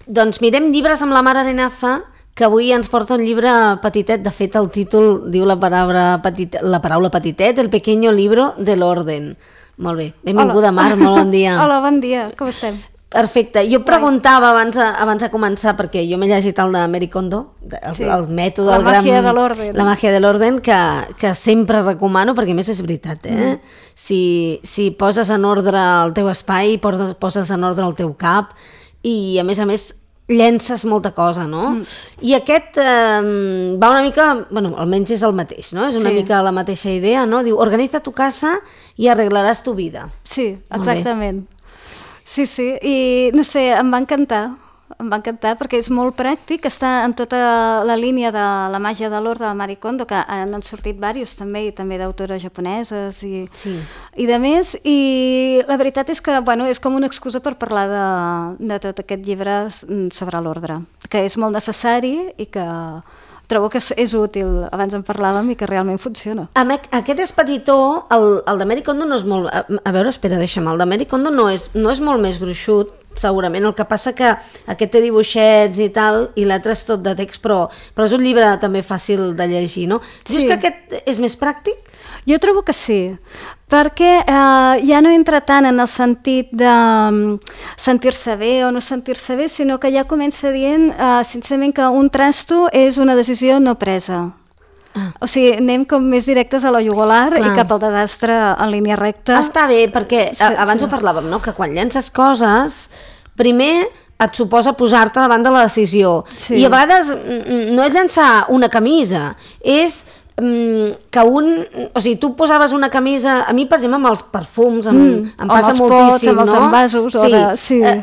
Doncs mirem llibres amb la Mar Arenaza, que avui ens porta un llibre petitet. De fet, el títol diu la paraula petitet, El pequeño libro del orden. Molt bé, benvinguda. Hola. Mar, molt bon dia. Hola, bon dia, com estem? Perfecte, jo preguntava abans de començar, perquè jo m'he llegit el de Marie Kondo, el mètode, la màgia de l'orden. La màgia de l'orden, que sempre recomano, perquè a més és veritat, Si poses en ordre el teu espai, poses en ordre el teu cap, i a més llences molta cosa, no? I aquest va una mica, bueno, almenys és el mateix, no? És una mica la mateixa idea, no? Diu, organitza tu casa i arreglaràs tu vida. Sí, exactament. Sí, i no sé, em va encantar perquè és molt pràctic, està en tota la línia de la màgia de l'ordre de Marie Kondo, que han sortit diversos també, i també d'autores japoneses i de més, i la veritat és que, bueno, és com una excusa per parlar de tot aquest llibre sobre l'ordre, que és molt necessari i que trobo que és útil, abans en parlàvem, i que realment funciona. Aquest és petitó, el de Marie Kondo no és molt... A veure, espera, deixa'm, el de Marie Kondo no és molt més gruixut, segurament, el que passa que aquest té dibuixets i tal, i l'altre és tot de text, però és un llibre també fàcil de llegir, no? Dius que aquest és més pràctic? Jo trobo que sí, perquè ja no entra tant en el sentit de sentir-se bé o no sentir-se bé, sinó que ja comença dient, sincerament, que un trasto és una decisió no presa. O sigui, anem com més directes a la jugular i cap al desastre en línia recta. Està bé, perquè abans ho parlàvem, no? Que quan llences coses, primer et suposa posar-te davant de la decisió. I a vegades no és llançar una camisa, és que o sigui, tu posaves una camisa, a mi per exemple amb els perfums em passa moltíssim, amb els envasos,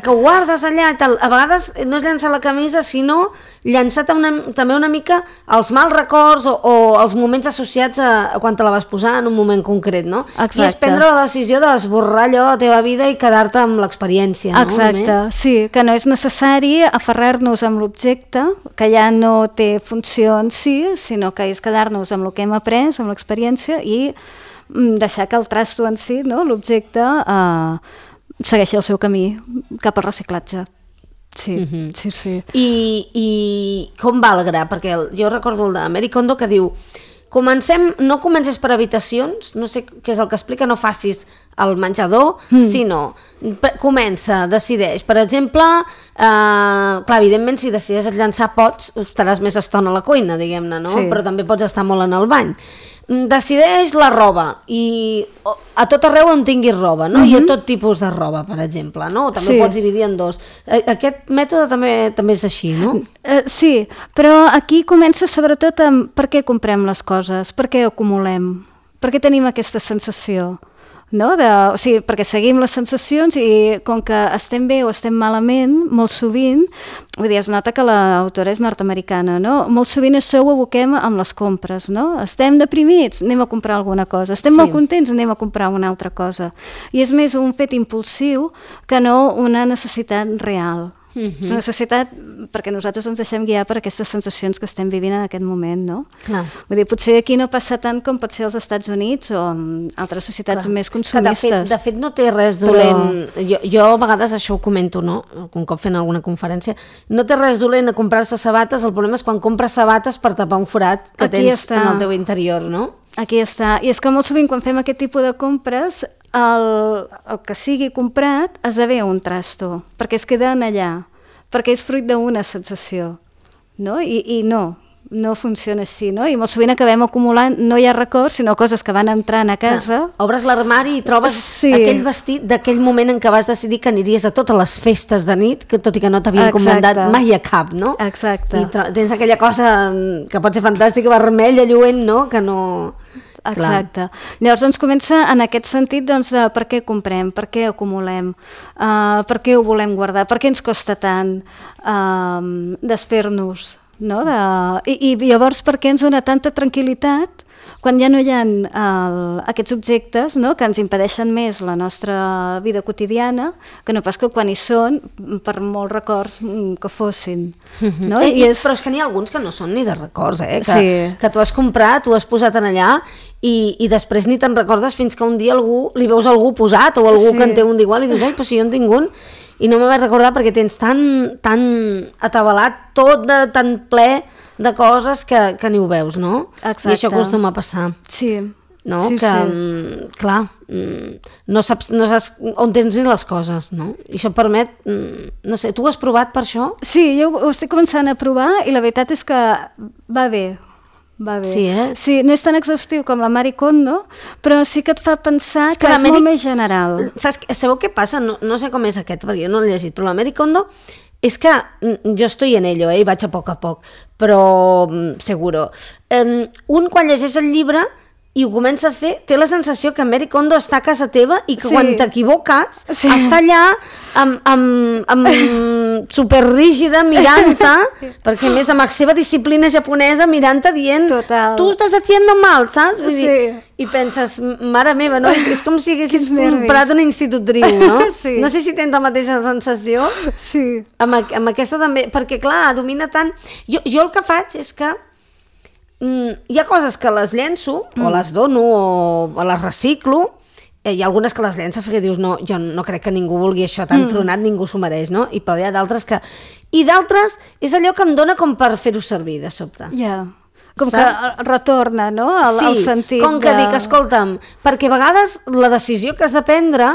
que ho guardes allà i tal. A vegades no és llançar la camisa, sinó llançar també una mica els mals records o els moments associats a quan te la vas posar en un moment concret, no? Exacte. I és prendre la decisió d'esborrar allò de la teva vida i quedar-te amb l'experiència, no? Exacte, sí, que no és necessari aferrar-nos amb l'objecte, que ja no té funció en si, sinó que és quedar-nos amb el que hem après, amb l'experiència, i deixar que el trasto en si, no, l'objecte, segueixi el seu camí cap al reciclatge. Sí. I com va el gra? Perquè jo recordo el de Marie Kondo que diu, no comences per habitacions, no sé què és el que explica, no facis el menjador, sinó comença, decideix. Per exemple, clar, evidentment, si decideixes llançar pots, estaràs més estona a la cuina, diguem-ne, no? Sí. Però també pots estar molt en el bany. Decideix la roba i a tot arreu on tinguis roba, no? I a tot tipus de roba, per exemple, no? També pots dividir en dos. Aquest mètode també és així, no? Sí, però aquí comença sobretot amb per què comprem les coses, per què acumulem, per què tenim aquesta sensació, no? O sigui, perquè seguim les sensacions i com que estem bé o estem malament, molt sovint, vull dir, es nota que l'autora és nord-americana, no? Molt sovint això ho aboquem amb les compres, no? Estem deprimits, anem a comprar alguna cosa. Estem molt contents, anem a comprar una altra cosa. I és més un fet impulsiu que no una necessitat real. És una necessitat perquè nosaltres ens deixem guiar per aquestes sensacions que estem vivint en aquest moment, no? Vull dir, potser aquí no passa tant com pot ser als Estats Units o en altres societats més consumistes. De fet no té res dolent. Jo a vegades això ho comento, no? Un cop fent alguna conferència. No té res dolent a comprar-se sabates, el problema és quan compres sabates per tapar un forat que tens en el teu interior, no? Aquí està. I és que molt sovint quan fem aquest tipus de compres el que sigui comprat esdevé un trasto, perquè es queden allà, perquè és fruit d'una sensació, no? I no funciona així, no? I molt sovint acabem acumulant, no hi ha records, sinó coses que van entrant a casa. Obres l'armari i trobes aquell vestit d'aquell moment en què vas decidir que aniries a totes les festes de nit, que tot i que no t'havien comendat mai a cap, no? Exacte. I tens aquella cosa que pot ser fantàstica, vermella, lluent, no? Que no... Exacte. Llavors doncs comença en aquest sentit de per què comprem, per què acumulem, per què ho volem guardar, per què ens costa tant desfer-nos, no? I llavors per què ens dona tanta tranquil·litat quan ja no hi ha aquests objectes, no? Que ens impedeixen més la nostra vida quotidiana, que no pas que quan hi són, per molts records que fossin. No? Però és que n'hi ha alguns que no són ni de records, que tu has comprat, tu has posat en allà i després ni te'n recordes fins que un dia li veus algú posat o algú que en té un d'igual i dius, ai, però si jo en tinc un. i no me vaig recordar perquè tens tan atabalat, tot tan ple de coses que ni ho veus, no? Exacte. I això acostuma a passar. Sí. No? Sí, clar, no saps on tens ni les coses, no? I això permet, no sé, tu ho has provat per això? Sí, jo ho estic començant a provar i la veritat és que va bé. Sí, Sí, no és tan exhaustiu com la Marie Kondo, però sí que et fa pensar que és molt més general. Sabeu què passa? No sé com és aquest, perquè jo no l'he llegit, però la Marie Kondo és que jo estoy en ello, i vaig a poc, però seguro. Un quan llegeix el llibre i ho comença a fer, té la sensació que Marie Kondo està a casa teva i que quan t'equivoques està allà superrígida mirant-te, perquè a més amb la seva disciplina japonesa mirant-te dient tu estàs haciendo mal, saps? Vull dir, i penses, mare meva, no? És com si haguessis comprat una institutriu, no? No sé si tens la mateixa sensació amb aquesta també, perquè clar, domina tant. Jo el que faig és que hi ha coses que les llenço o les dono o les reciclo, hi ha algunes que les llenço perquè dius no, jo no crec que ningú vulgui això tan tronat, ningú s'ho mereix, no? I però hi ha d'altres que... I d'altres és allò que em dona com per fer-ho servir de sobte. Com que retorna, no? El sentit com que dic, escolta'm, perquè a vegades la decisió que has de prendre,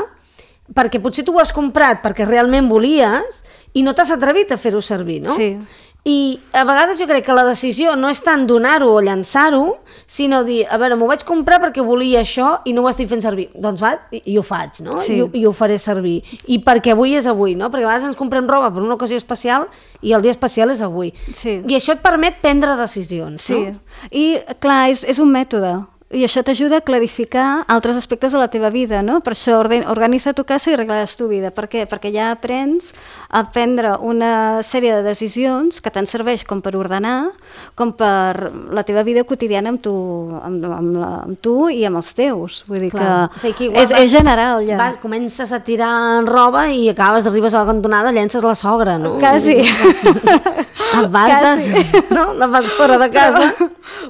perquè potser tu ho has comprat perquè realment volies i no t'has atrevit a fer-ho servir, no? Sí. I a vegades jo crec que la decisió no és tant donar-ho o llançar-ho, sinó dir, a veure, m'ho vaig comprar perquè volia això i no ho estic fent servir. Doncs va, i ho faig, no? I ho faré servir. I perquè avui és avui, no? Perquè a vegades ens comprem roba per una ocasió especial i el dia especial és avui. I això et permet prendre decisions, no? I clar, és un mètode. I això t'ajuda a clarificar altres aspectes de la teva vida, no? Per això organitza tu casa i arreglaràs tu vida. Per què? Perquè ja aprens a prendre una sèrie de decisions que tant serveix com per ordenar, com per la teva vida quotidiana amb tu i amb els teus. Vull dir que és general, ja. Comences a tirar roba i arribes a la cantonada, llences la sogra, no? Quasi. Apartes, no? La vas fora de casa.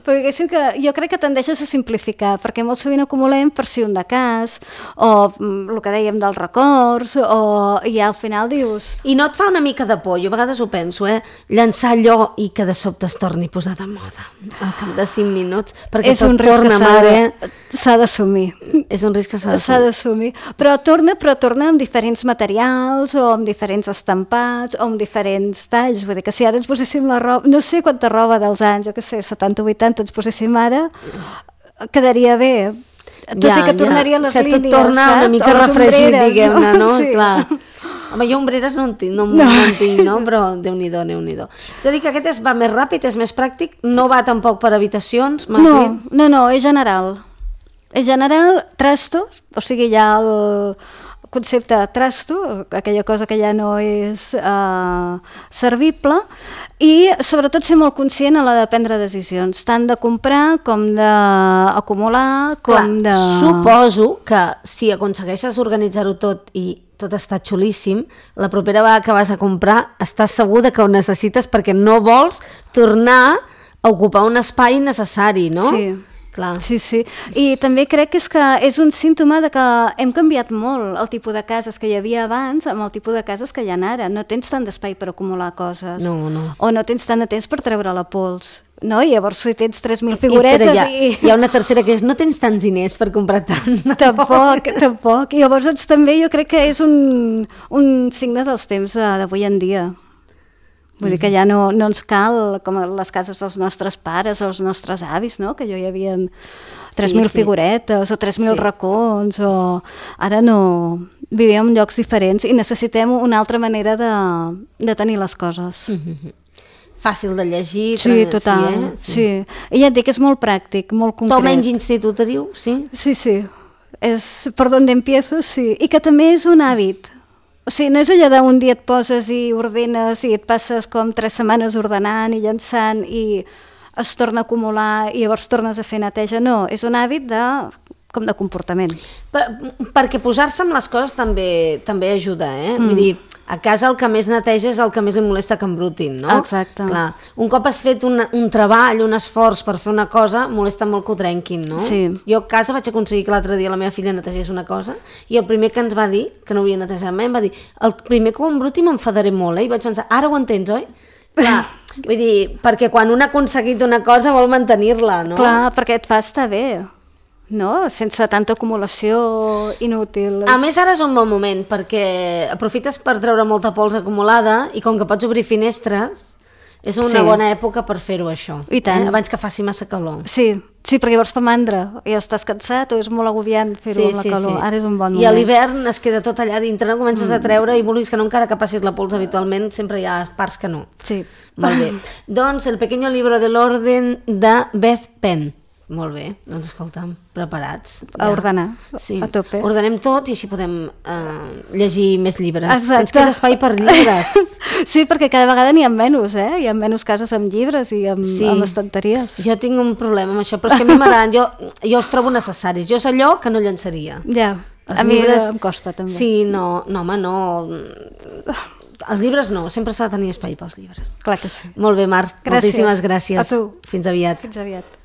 Però diguéssim que jo crec que tendeixes a simplificar, perquè molt sovint acumulem per si un de cas, o el que dèiem dels records, i ja al final dius... I no et fa una mica de por? Jo a vegades ho penso, llançar allò i que de sobte es torni a posar de moda al cap de 5 minuts, perquè és tot torna, mare... S'ha d'assumir. És un risc que s'ha d'assumir. Però torna amb diferents materials, o amb diferents estampats, o amb diferents talls. Vull dir que si ara ens poséssim la roba... No sé quanta roba dels anys, jo què sé, 70 o 80 ens poséssim ara, quedaria bé. Tot i que tornaria les línies, que tot torna una mica refregit, diguem-ne, no? Clar. Home, jo ombreres no en tinc, no? Però Déu-n'hi-do. És a dir, que aquest va més ràpid, és més pràctic, no va tampoc per habitacions, m'has dit? No, és general. És general, trasto, o sigui, hi ha el concepte trasto, aquella cosa que ja no és servible, i sobretot ser molt conscient a l'hora de prendre decisions, tant de comprar com d'acumular, com de... Suposo que si aconsegueixes organitzar-ho tot i tot està xulíssim, la propera vegada que vas a comprar estàs segur que ho necessites perquè no vols tornar a ocupar un espai innecessari, no? Sí. Clar. Sí. I també crec que és un símptoma de que hem canviat molt el tipus de cases que hi havia abans amb el tipus de cases que hi ha ara. No tens tant d'espai per acumular coses. No. O no tens tant de temps per treure la pols. No? I llavors si tens 3.000 figuretes hi ha una tercera que és no tens tants diners per comprar tant. Tampoc. I llavors també jo crec que és un signe dels temps d'avui en dia. Vull dir que ja no ens cal, com les cases dels nostres pares o els nostres avis, no? Que hi havia 3.000 figuretes o 3.000 racons, o ara no... Vivíem en llocs diferents i necessitem una altra manera de tenir les coses. Fàcil de llegir. Sí, total. Sí. I ja et dic, és molt pràctic, molt concret. Tu menys institutriu, sí? Sí. És per on empiezo, sí. I que també és un hàbit. O sigui, no és allò d'un dia et poses i ordenes i et passes com 3 setmanes ordenant i llançant i es torna a acumular i llavors tornes a fer neteja. No, és un hàbit de com de comportament. Perquè posar-se amb les coses també ajuda, Vull dir, a casa el que més neteja és el que més li molesta que embrutin, no? Exacte. Clar, un cop has fet un treball, un esforç per fer una cosa, molesta molt que ho trenquin, no? Sí. Jo a casa vaig aconseguir que l'altre dia la meva filla netegés una cosa i el primer que ens va dir, que no havia netejat mai, em va dir, el primer que ho embruti m'enfadaré molt, I vaig pensar, ara ho entens, oi? Clar, vull dir, perquè quan un ha aconseguit una cosa vol mantenir-la, no? Clar, perquè et fa estar bé, no? Sense tanta acumulació inútil. A més, ara és un bon moment, perquè aprofites per treure molta pols acumulada i com que pots obrir finestres, és una bona època per fer-ho, això. I tant. Abans que faci massa calor. Sí, perquè llavors fa mandra, i estàs cansat o és molt agobiant fer-ho amb la calor. Ara és un bon moment. I a l'hivern es queda tot allà dintre, no comences a treure i vulguis que no, encara que passis la pols habitualment, sempre hi ha parts que no. Sí. Molt bé. Doncs El pequeño libro del orden de Beth Penn. Molt bé, doncs escolta'm, preparats. A ordenar, a tope. Ordenem tot i així podem llegir més llibres. Exacte. Ens queda espai per llibres. Sí, perquè cada vegada n'hi ha menys, Hi ha menys cases amb llibres i amb estanteries. Jo tinc un problema amb això, però és que a mi m'agraden, jo els trobo necessaris. Jo és allò que no llençaria. Ja, a mi em costa també. Sí, no, home, no... Els llibres no, sempre s'ha de tenir espai pels llibres. Clar que sí. Molt bé, Mar, moltíssimes gràcies. A tu. Fins aviat. Fins aviat.